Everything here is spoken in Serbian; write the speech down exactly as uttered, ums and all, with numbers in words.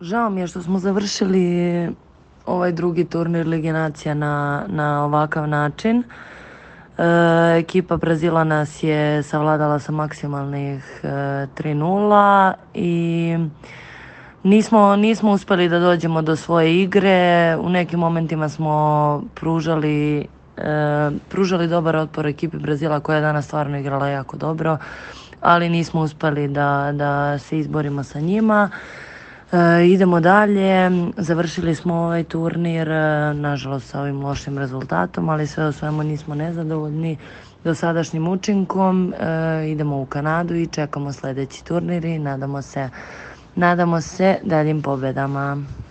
Žao mi je što smo završili ovaj drugi turnir Lige nacija na, na ovakav način. E, ekipa Brazila nas je savladala sa maksimalnih e, tri nula i nismo, nismo uspeli da dođemo do svoje igre. U nekim momentima smo pružali, e, pružali dobar otpor ekipi Brazila koja je danas stvarno igrala jako dobro, ali nismo uspeli da, da se izborimo sa njima. E, idemo dalje, završili smo ovaj turnir, e, nažalost sa ovim lošim rezultatom, ali sve u svemu nismo nezadovoljni dosadašnjim učinkom. E, idemo u Kanadu i čekamo sledeći turnir i nadamo se, nadamo se daljim pobedama.